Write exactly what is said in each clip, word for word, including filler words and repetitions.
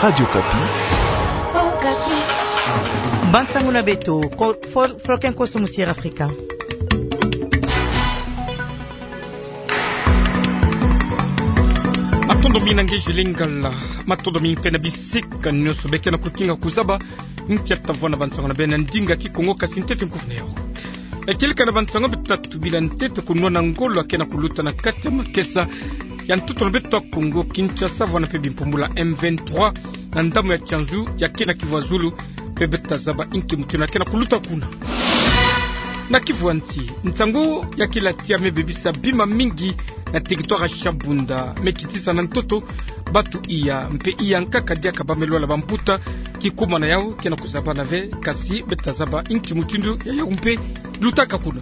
Radio Okapi. Bansango na beto, ko-, fol-, foloke nkoso mu Sierra Africa. Matondo mingi na ngeji Lingala, matondo mingi mpe na bisika nyonso beke na kukinga kuzaba nkia tavwanda bansango na beno na ndinga Kikongo, kasi ntete nkufi na yau. Ekilika na bansango beto ta tubila ntete, kunwana ngolo yake na kuluta na kati ya makesa ya ntoto na beto Kongo Kinshasa, vwanda mpe bimpumbulu ya M vingt-trois na ndambu ya Tianzu, yake na Kivu ya zulu, mpe beto ta zaba inki mutindu yake na kuluta kuna. Na Kivu ya nsi, nsangu ya kilati ya me bebisa bima mingi na territoire ya Shabunda, me kitisa na ntoto bantu iya, mpe iya nkaka diaka ba me lwala bambuta. Kikuma na yau ke na kuzabana ve, kasi beto ta zaba inki mutindu ya yau mpe lutaka kuna.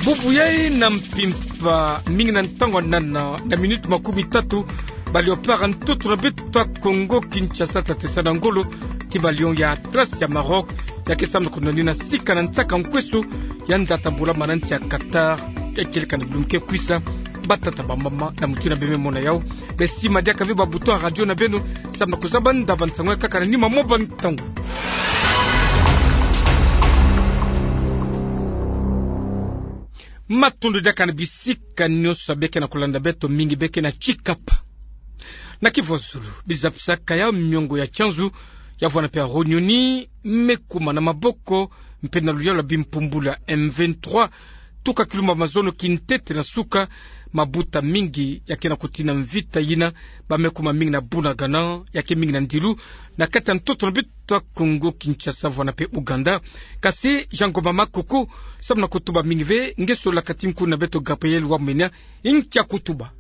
Bubu yai na mpimpa mingi na ntangu ya nana na minute makumi tatu, ba léopard ya ntoto na beto Kongo Kinshasa ta tesa na ngolo ti ba lion ya Atlas ya Maroc, yake samu na kunwanina sika na nsaka nkweso ya nda ta bula mana nsi ya Qatar, ya kieleka na bilumbu ke kwisa. Batata, bamama, na mutindu ya be me mona yau, be sima diaka ve ba bouton ya radio na beno samu na kuzaba nda bansangu ya nkaka na nima mwa bantangu. Matondo diaka na bisika nyonso beke na kulanda beto, mingi beke na Tshikapa. Na Kivu ya zulu, bizapisaka ya miongo ya Tianzu, ya vwanda mpe ya Runyoni, me kuma na maboko mpe na luyalu ya bimpumbulu ya M vingt-trois. Tuka kilumbu ya mazono kintete na suka, mabuta mingi yake na kutina mvita yina, ba me kuma mingi na Bunagana, yake mingi na ndilu na kati ya ntoto na beto Kongo Kinshasa, vwanda mpe Ouganda. Kasi Jean Ngoma Makoko samu na kutuba mingi ve, nge sola kati nkundi na beto Gabriel Wamenya, inki akutuba.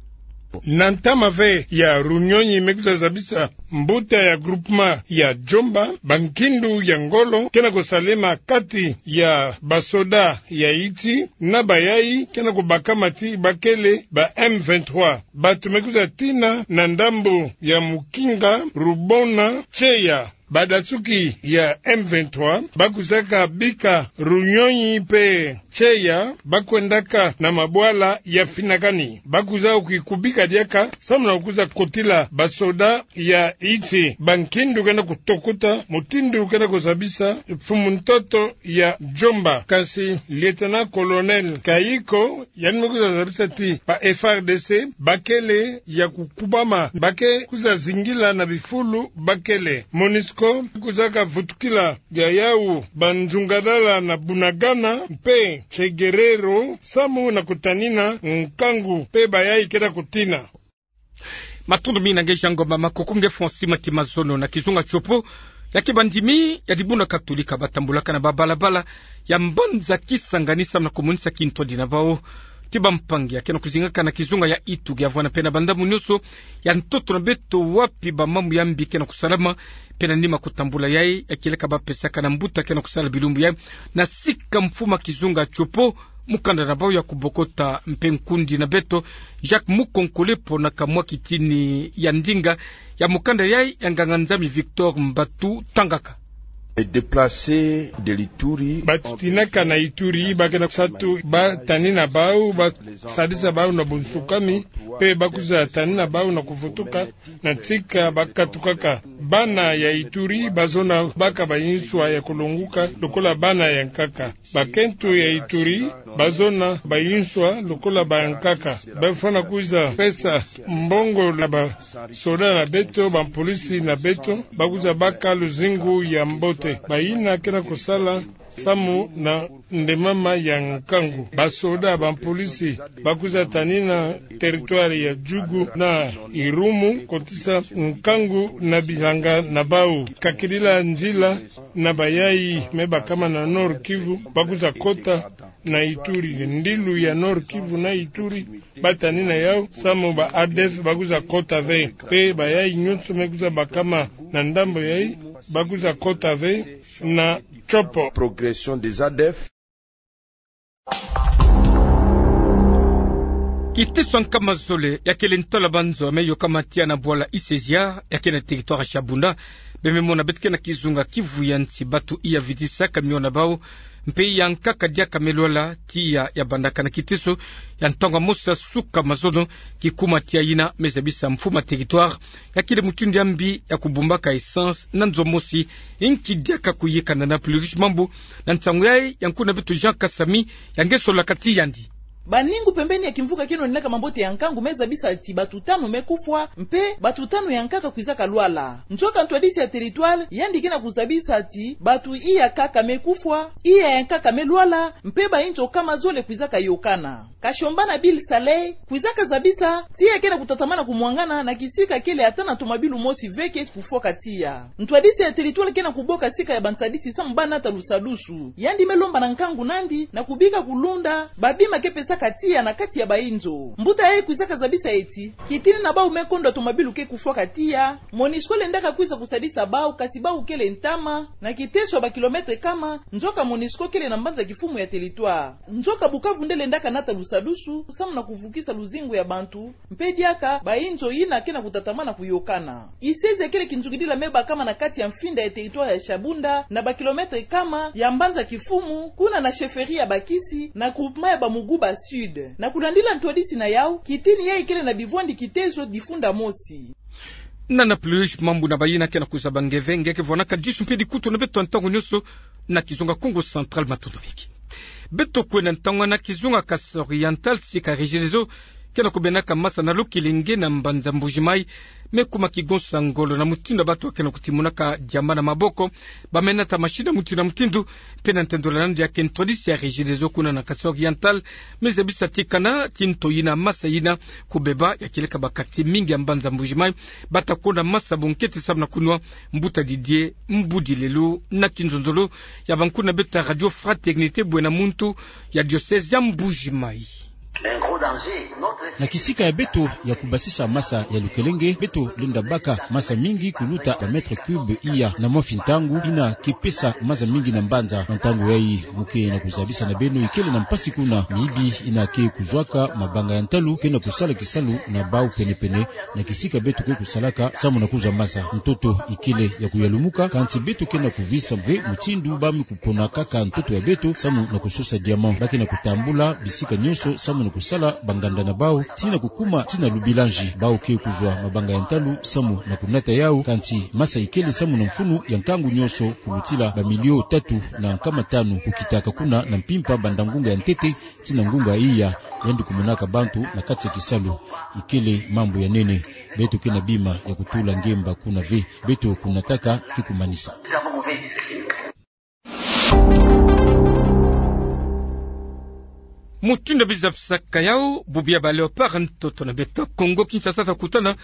Na ntama ve ya Runyoni, me kwiza zabisa mbuta ya groupement ya Djomba, bankindu ya ngolo ke na kusalema kati ya basoda ya Itsi na bayai ke na kubakama ti bakele ba M vingt-trois. Bantu me kwiza tina na ndambu ya Mukinga, Rubona, Tseya. Badansuki ya M vingt-trois ba kwizaka bika Runyoni mpe Tseya, ba kwendaka na mabwala ya Finakani. Ba kwiza ki kubika diaka samu na kwiza kotila basoda ya Itsi. Bankindu ke na kutokota mutindu ke na kuzabisa mfumu ntoto ya Djomba. Kasi lieutenant-colonel Kayiko, yandi me kwiza zabisa ti ba F A R D C bakele ya kukubama, ba ke kwiza zingila na bifulu bakele. Monusco kwizaka vutukila ya yau banzungadala na Bunagana mpe Tsegerero samu na kutanina nkangu mpe bayai ke na kutina. Matondo mingi na nge Jean Ngoma Makoko. Nge Francis Mati Mazono, na kizunga Tshopo, yake bandimi ya dibundu Katolika ba tambulaka na babalabala ya mbanza Kisangani samu na kumonisa kintwadi na bau ti bampangi yake na kuzingaka na kizunga ya Itu, ya vwanda mpe na bandambu nyonso ya ntoto na beto wapi bamambu ya mbi ke na kusalama. Mpe na nima kutambula yai, ya kieleka ba pesaka na mbuta ke na kusala bilumbu yai na sika mfumu ya kizunga Tshopo, mukanda na bau ya kubokota, mpe nkundi na beto Jacques Mukonkole pona kamwa kitini ya ndinga ya mukanda yai ya nganga-Nzambi Victor Mbatu Tangaka. Déplacés de l'Ituri. Bantu tinaka na Ituri ba ke na kusatu, ba tanina bau, ba sadisa bau na bunsukami, mpe ba kwiza tanina bau na kuvutuka na nsika ba katukaka. Bana ya Ituri ba zona baka bayinswa ya kulonguka lokola bana ya nkaka. Bakento ya Ituri ba zona bayinswa lokola bankaka. Ba fwana kwiza pesa mbongo na basoda na beto, bampolisi na beto, ba kwiza baka luzingu ya mbote. Bayina ke na kusala samu na ndemama ya nkangu. Basoda, bampolisi ba kwiza tanina territoire ya Djugu na Irumu, kotisa nkangu na bilanga na bau. Kakidila nzila na bayai me bakama na Nord-Kivu, ba kwiza kota na Ituri. Ndilu ya Nord-Kivu na Ituri ba tanina yau samu ba A D F ba kwiza kota ve. Mpe bayai nyonso me kwiza bakama na ndambu yai, ba kwiza kota ve na Tshopo. Progression des A D F. Kiteso ya nkama zole ya kele ntwala banzo me yokama tia na bwala Isezia, ya ke na territoire ya Shabunda, Bembe mona beto ke na kizunga kivu ya nti, batu iya vidisaka miona bau, mpe iya nkaka diaka me lwala, tiya ya bandaka na kiteso ya ntangu ya mosi ya suka mazono, kikuma tiya yina me zabisa mfumu ya territoire ya kele mutindu ya mbi ya kubumbaka essence na nzo mosi, nki diaka kuyika na Nana Plurish Mambu na nsangu yayi ya nkuna beto Jean Kasami, ya nge solola kati yandi. Baningu pembeni ya kimvuka kieno ninaka mambote ya nkangu me zabisa ti batu tanu me kufwa, mpe batu tanu ya nkaka kwizaka lwala. Nzoka ntwadisi ya territoire yandi ke na kuzabisa ti batu iya kaka me kufwa, iya ya nkaka me lwala, mpe bainzo kama zole kwizaka yokana. Kashombana Bill Saleh kwizaka zabisa ti ya ke na kutatamana kumwangana na kisika kele ata na tomabilu mosi ve ke kufwaka tiya. Ntwadisi ya territoire ke na kuboka sika ya bansadisi samu ba nata lusadusu. Yandi me lomba na nkangu nandi na kubika kulunda babima ke pesaka tiya na kati ya bainzo. Mbuta yayi kwizaka zabisa ti, kitini na bau me kondwa tomabilu ke kufwaka tiya, Monusco lendaka kwiza kusadisa bau, kasi bau kele ntama, na kiteso ya ba kilomètre kama, nzoka Monusco kele na mbanza kifumu ya territoire. Nzoka Bukavu nde lendaka nata lusadusu samu na kuvukisa luzingu ya bantu, mpe diaka bainzo yina ke na kutatamana kuyokana. Isezi ya kele kinzukidila me bakama na kati ya mfinda ya territoire ya Shabunda, na ba kilomètre kama ya mbanza kifumu, kuna na chefferie ya Bakisi, na groupement ya Bamuguba Sud. Na kulandila ntwadisi na yau, kitini yayi kele na bivwandi kiteso difunda mosi. Nana Plurish Mambu na bayina ke na kuzaba nge ve, nge ke vwanaka disu mpe dikutu na beto ntangu nionso na kizunga Kongo Central. Matondo mingi. Beto kwenda ntangwa na kizunga Kasaï Oriental, sika Regideso ke na kubenaka masa na Lokelenge na mbanza Mbuji-Mayi, me kuma kigonsa ngolo na mutindu ya batu ke na kutimunaka diamba na maboko, ba me nata mashini mutindu na mutindu, mpe na ntendolo na nde ya ke ntwadisi ya Regideso kuna na Kasaï Oriental, me zabisa ti kana ti nto yina masa yina kubeba ya kieleka ba quartier mingi ya mbanza Mbuji-Mayi, bata kwenda masa bunkete samu na kunwa mbuta Didier Mbudilelu na kinzonzolo ya bankuna beto ya Radio Fraternité Bwena Muntu ya diocèse ya Mbuji-Mayi. Na kisika ya beto ya kubasisa masa ya Lokelenge, beto lenda baka masa mingi kuluta ba mètre cube iya na mwa fi ntangu, yina ke pesa maza mingi na mbanza. Na ntangu yayi mu ke na kuzabisa na beno ikele na mpasi kuna miyibi yina ke kuzwaka mabanga ya ntalu ke na kusala kisalu na bau penepene na kisika beto ke kusalaka samu na kuzwa masa. Ntoto ikele ya kuyalumuka, kansi beto ke na kuvisa ve mutindu ba me kupona kaka ntoto ya beto samu na kusosa diamant. Ba ke na kutambula bisika nionso samu na kusala banganda na bau, tii na kukuma tii na Lubilanji. Bau ke kuzwa mabanga ya ntalu samu na kunata yau, kansi masa ikele samu na mfunu ya nkangu nionso, kulutila ba milio tatu na nkama tanu kukitaka kuna na mpimpa banda ngunga ya ntete tii na ngunga iya, yandi kumonaka bantu na kati ya kisalu. Ikele mambu ya nene. Beto ke na bima ya kutula ngemba kuna ve. Beto kunataka ke kumanisa. Mutindu ya bizabisaka yau, bubu ya ba Léopards ntoto na beto Kongo Kinshasa ta kutana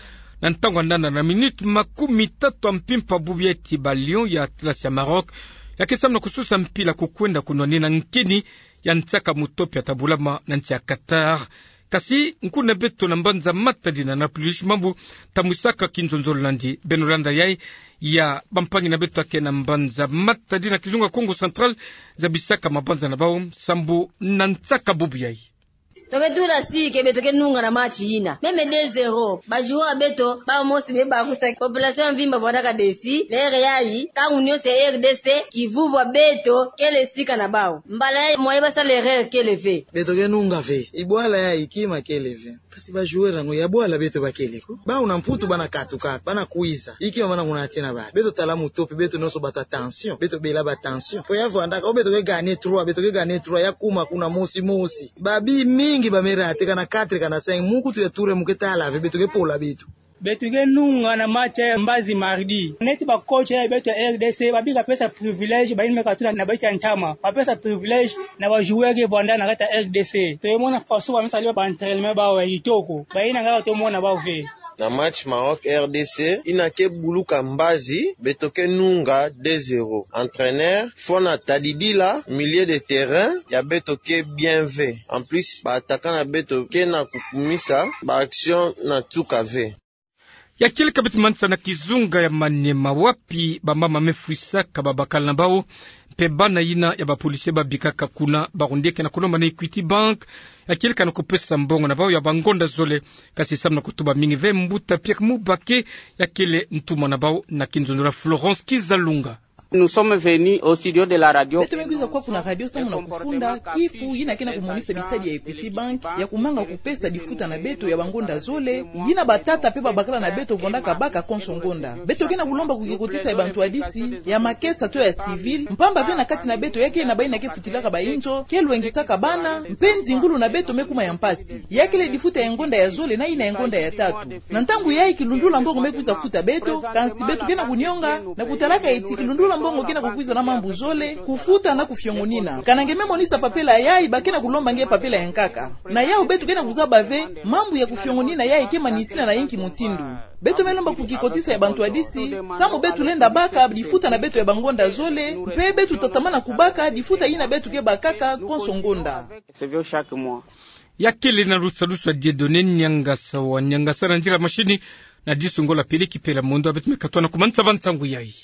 na ntangu ya nana na minute makumi tatu ya mpimpa. Bubu ya ti ba Lions ya Atlas ya Maroc ya ke samu na kusosa mpila kukwenda kunwanina nkeni ya nsaka mutopi ya ta bulama na nsi ya Qatar. Kasi nkuna beto na mbanza Matadi Nana Plurish Mambu ta mwisaka kinzonzolo na nde. Beno landa yayi ya bampangi na beto ya ke na mbanza Matadi na kizunga Kongo Central, zabisaka mabanza na bau sambu na nsaka bubu yayi. To beto tula si ke beto ke nunga na match yina. Même deux zéro. Ba joueurs ya beto, bau mosi me bakusa. Population ya mvimba vwandaka déçu. L'heure yayi, nkangu nionso ya R D C, kivuvu ya beto kele sika na bau. Mbala yayi moyen ba sala erreur kele ve. Beto ke nunga ve. Ibwala yayi kima kele ve. Kasi ba joueurs yango ya bwala beto ba kele ko. Bau na Mputu bana katuka, bana kwiza. Ikima bana kunatina bala. Beto tala mutopi, beto nionso bata tension. Beto bela ba tension. Po ya vwandaka, o beto ke gagner trois, beto ke gagner trois, ya kuma kuna mosi mosi. Ba buts mingi ba me rater, kana quatre, kana cinq. Mu kutu ya tour mu ke tala ve, beto ke pola beto. Beto ke nunga na match ya mbazi mardi. Neti ba coach ya beto ya R D C, ba bika pesa privilège, bayina me katula na ba nsi ya ntama. Ba pesa privilège na ba joueurs ke vwanda na kati ya R D C. To mona façon ba me sala ba entraînement ya bau ya kitoko. Bayina nga to mona bau ve. Na match Maroc R D C, yina ke buluka mbazi, beto ke nunga deux zéro. Entraîneur, Fona Tadidila, milieu de terrain ya beto ke bien ve. En plus, ba attaquants na beto ke na kukumisa ba action na nsuka ve. Ya kele ka beto manisa na kizunga ya Maniema, wapi bamama me fwisaka babakala na bawu mpe bana yina ya bapolisie babikaka kuna. Baronde ke na kulomba na Equity Bank ya kele ka na kupesa mbongo na bawu ya bangonda zole. Kasi samu na kutuba mingi ve, mbuta Pierre Mubake ya kele ntumwa na bawu na kinzonzolo ya Florence Kizalunga. Nous sommes venus au studio de la radio. Beto me kwiza kwaku na radio samu na kufunda kifu yina ke na kumonisa bisadi ya Equity Bank ya kumanga kupesa difuta na beto ya bangonda zole, yina batata mpe babakala na beto vandaka baka konso ngonda. Beto ke na kulomba kukikotisa ya bantu hadisi ya makesa to ya civil, mpamba ve na kati na beto ya ke na bayina ke futilaka bainzo, ke lwengisaka bana, mpe nzingulu na beto me kuma ya mpasi. Ya kele difuta ya ngonda ya zole na yina ya ngonda ya tatu. Na ntangu yayi kilundula mbongo me kwiza futa beto, kansi beto ke na kunionga na kutalaka eti kilundula mbongo ke na kukwiza na mambu zole, kufuta na kufiongonina. Kana nge me monisa papela yayi, ba ke na kulomba nge papela ya nkaka. Na yawu beto ke na kuzaba ve, mambu ya kufiongonina yayi ke manisina na inki mutindu. Beto me lomba kukikotisa ya bantu hadisi samu beto lenda baka difuta na beto ya bangonda zole, mpe beto tatamana kubaka difuta yina beto ke bakaka konso ngonda. Ya kele na lusalusu ya Dieudonné Niangasa wa Niangasa, na nzila mashini na Disu Ngola Peleki Pela Mondo. Beto me katwa na kumanisa ba nsangu yayi.